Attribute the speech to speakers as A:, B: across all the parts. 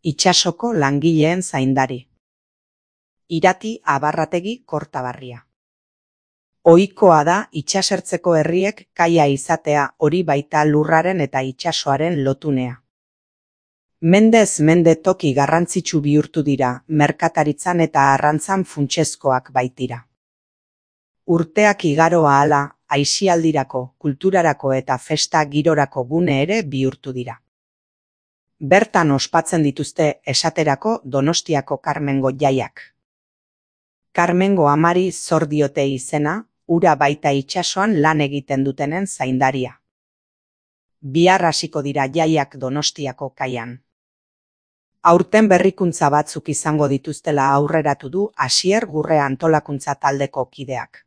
A: Itsasoko langileen zaindari. Irati Abarrategi Kortabarria. Ohikoa da itsasertzeko herriek kaia izatea, hori baita lurraren eta itsasoaren lotunea. Mendez mende toki garrantzitsu bihurtu dira, merkataritzan eta arrantzan funtsezkoak baitira. Urteak igaro ahala, aisialdirako, kulturarako eta festa girorako gune ere bihurtu dira. Bertan ospatzen dituzte esaterako Donostiako Karmengo jaiak. Karmengo amari zor diote izena, ura baita itsasoan lan egiten dutenen zaindaria. Bihar hasiko dira jaiak Donostiako kaian. Aurten berrikuntza batzuk izango dituztela aurreratu du Asier Gurrea antolakuntza taldeko kideak.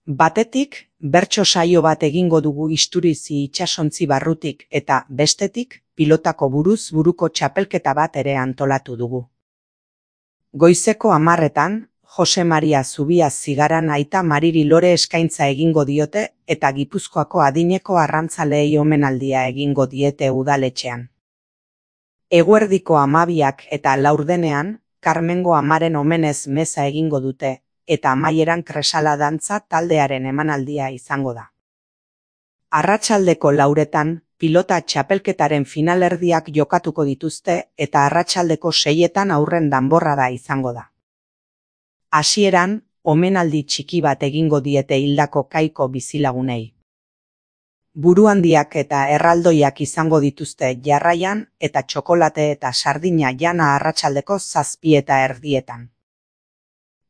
A: Batetik, bertso saio bat egingo dugu Isturizi itsasontzi barrutik eta bestetik, pilotako buruz buruko txapelketa bat ere antolatu dugu. Goizeko 10:00 Jose Maria Zubia Zigaran aita Mariri Lore eskaintza egingo diote eta Gipuzkoako adineko arrantzaleei omenaldia egingo diete udaletxean. Eguerdiko 12:00 eta 4:00 Karmengo amaren omenez meza egingo dute, eta amaieran kresala dantza taldearen emanaldia izango da. Arratsaldeko 4:00 pilota txapelketaren finalerdiak jokatuko dituzte eta arratsaldeko 6:00 aurren danborrada izango da. Hasieran, omenaldi txiki bat egingo diete hildako kaiko bizilagunei. Buruhandiak eta erraldoiak izango dituzte jarraian eta txokolate eta sardina jana arratsaldeko 7:30.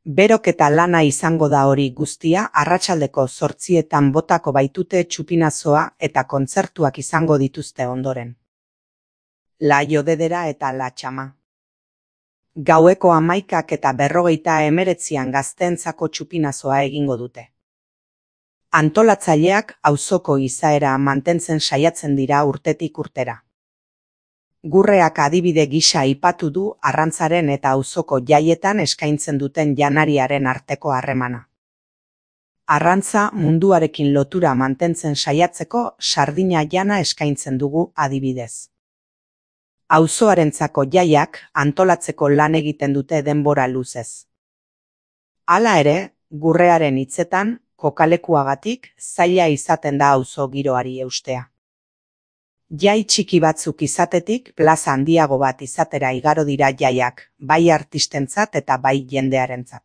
A: Berok eta lana izango da hori guztia arratsaldeko 8:00 botako baitute txupinazoa eta kontzertuak izango dituzte ondoren. La Jodedera eta La Txama. Gaueko 11:00 eta 59 gazteentzako txupinazoa egingo dute. Antolatzaileak auzoko izaera mantentzen saiatzen dira urtetik urtera. Gurreak adibide gisa aipatu du arrantzaren eta auzoko jaietan eskaintzen duten janariaren arteko harremana. Arrantza munduarekin lotura mantentzen saiatzeko sardina jana eskaintzen dugu adibidez. Auzoarentzako jaiak antolatzeko lan egiten dute denbora luzez. Hala ere, Gurrearen hitzetan, kokalekuagatik zaila izaten da auzo giroari eustea. Jai txiki batzuk izatetik plaza handiago bat izatera igaro dira jaiak, bai artistentzat eta bai jendearentzat.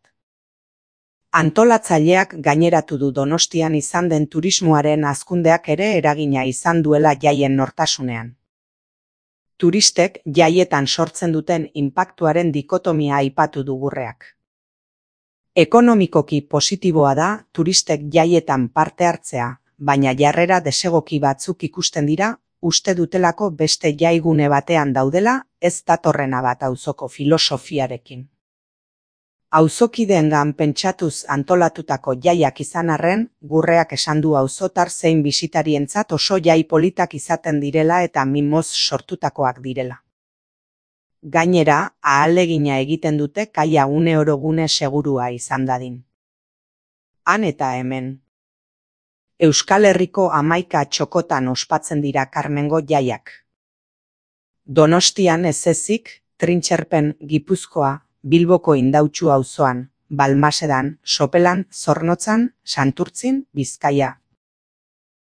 A: Antolatzaileak gaineratu du Donostian izan den turismoaren hazkundeak ere eragina izan duela jaien nortasunean. Turistek jaietan sortzen duten inpaktuaren dikotomia aipatu du Gurreak. Ekonomikoki positiboa da turistek jaietan parte hartzea, baina jarrera desegoki batzuk ikusten dira, uste dutelako beste jaigune batean daudela, ez datorrena bat auzoko filosofiarekin. Auzokideengan pentsatuz antolatutako jaiak izan arren, Gurreak esan du auzotar zein bisitarientzat oso jai politak izaten direla eta mimoz sortutakoak direla. Gainera, ahalegina egiten dute kaia uneoro gune segurua izan dadin. Han eta hemen. Euskal Herriko 11 txokotan ospatzen dira Karmengo jaiak. Donostian ez ezik, Trintxerpen, Gipuzkoa, Bilboko Indautxu auzoan, Balmasedan, Sopelan, Zornotzan, Santurtzin, Bizkaia,